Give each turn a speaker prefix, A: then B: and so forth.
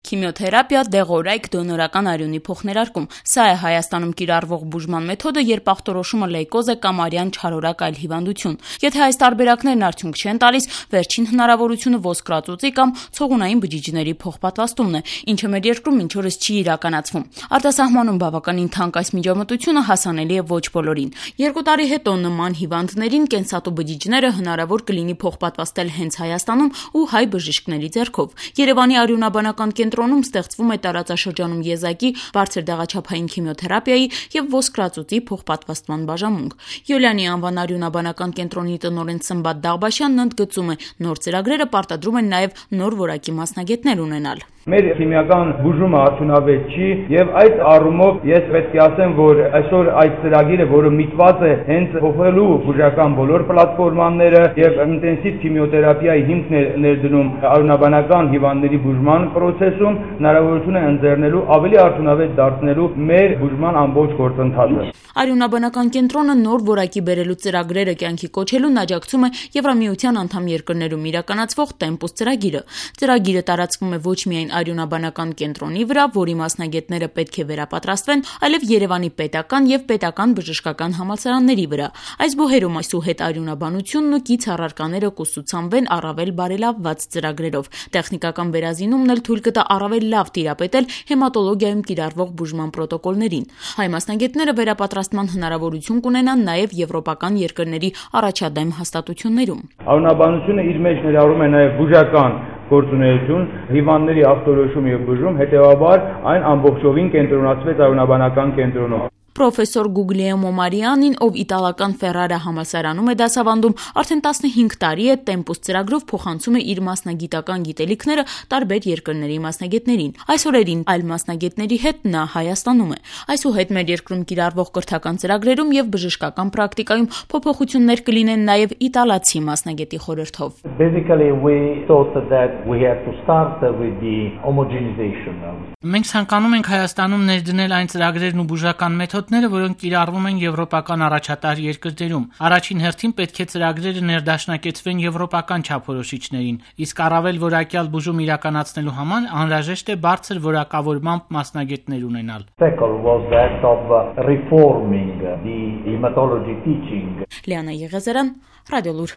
A: Քիմիոթերապիա, դեղորայք, դոնորական արյունի փոխներարկում։ Սա է Հայաստանում կիրառվող բուժման մեթոդը, երբ ախտորոշումը լեյկոզ է կամ արյան չարորակ այլ հիվանդություն։ Եթե այս տարբերակներն արդյունք չեն տալիս, վերջին հնարավորությունը ոսկրածուծի կամ ցողունային բջիջների փոխպատվաստումն է, ինչը մեր երկրում մինչ օրս չի իրականացվում։ Արտասահմանում բավականին թանկ այս միջամտությունը հասանելի է ոչ բոլորին։ 2 տարի հետո նման հիվանդներին կենսատու բջիջները հնարավոր կլինի փոխպատվաստել հենց Հայաստանում ու հայ բժիշկների ձեռքով։ Երևանի արյունաբանական կենտրոնում ստեղծվում է տարածաշրջանում եզակի, բարձր դեղաչափային քիմիոթերապիայի եւ ոսկրածուծի փոխպատվաստման բաժանմունք։ Յուլիանի անվան արյունաբանական կենտրոնի տնօրեն Սմբատ Դաղբաշյանն ընդգծում է, նոր ծրագրերը պարտադրում են նաեւ նոր որակի մասնագետներ ունենալ։
B: Մեր քիմիական բուժումը արդյունավետ չի եւ այդ առումով ես պետք է ասեմ, որ այսօր այս ծրագիրը, որը միտված է հենց փոխելու բուժական բոլոր պլատֆորմաները եւ ինտենսիվ քիմիոթերապիայի հիմքն է ներդնում արյունաբանական հիվանդների բուժման process-ում, հնարավորություն է ընձեռնելու ավելի արդյունավետ դարձնելու մեր բուժման ամբողջ գործընթացը։
A: Արյունաբանական կենտրոնը նոր որակի բերելու ծրագրերը կյանքի կոչելուն աջակցում է Եվրամիության անդամ երկրներում իրականացվող Tempus ծրագիրը։ Ծրագիրը տարածվում է ոչ միայն արյունաբանական կենտրոնի վրա, որի մասնագետները պետք է վերապատրաստվեն, այլև Երևանի պետական եւ պետական բժշկական համալսարանների վրա։ Այս բուհերում այսուհետ արյունաբանությունն ու կից առարկաները կուսուցանվեն առավել բարելավված ծրագրերով։ Տեխնիկական վերազինումն էլ թույլ կտա առավել լավ տիրապետել հեմատոլոգիայում կիրառվող բուժման պրոտոկոլներին։ Հայ մասնագետները վերապատրաստման հնարավորություն կունենան նաեւ եվրոպական երկրների առաջադեմ հաստատություններում։
B: Արյունաբանությունը իր մեջ ներառում է նաեւ բուժական գործունեություն, հիվանդների ախտորոշում եւ բուժում, հետեւաբար այն ամբողջովին կենտրոնացվեց արյունաբանական կենտրոնում։
A: Պրոֆեսոր Գուգլիեմո Մարիանին, ով իտալական Ֆերրարա համալսարանում է դասավանդում, արդեն 15 տարի է Tempus ծրագրով փոխանցում է իր մասնագիտական գիտելիքները տարբեր երկրների մասնագետներին։ Այս օրերին այլ մասնագետների հետ նա Հայաստանում է։ Այսուհետ մեր երկրում կիրառվող կրթական ծրագրերում եւ բժշկական պրակտիկայում փոփոխություններ կլինեն նաեւ իտալացի մասնագետի խորհրդով։
C: Basically we thought that we had to start with the homogenization.
D: Մենք ցանկանում ենք Հայաստանում ներդնել այն ծրագրերն ու բուժական մեթոդները, որոնք կիրառվում են եվրոպական առաջատար երկրներում։ Առաջին հերթին պետք է ծրագրերը ներդաշնակեցվեն եվրոպական չափորոշիչներին, իսկ առավել որակյալ բուժում իրականացնելու համար անհրաժեշտ է բարձր որակավորմամբ մասնագետներ ունենալ։
C: Second was that of reforming the hematology teaching.
A: Լիանա Եղեզարյան, Ռադիոլուր։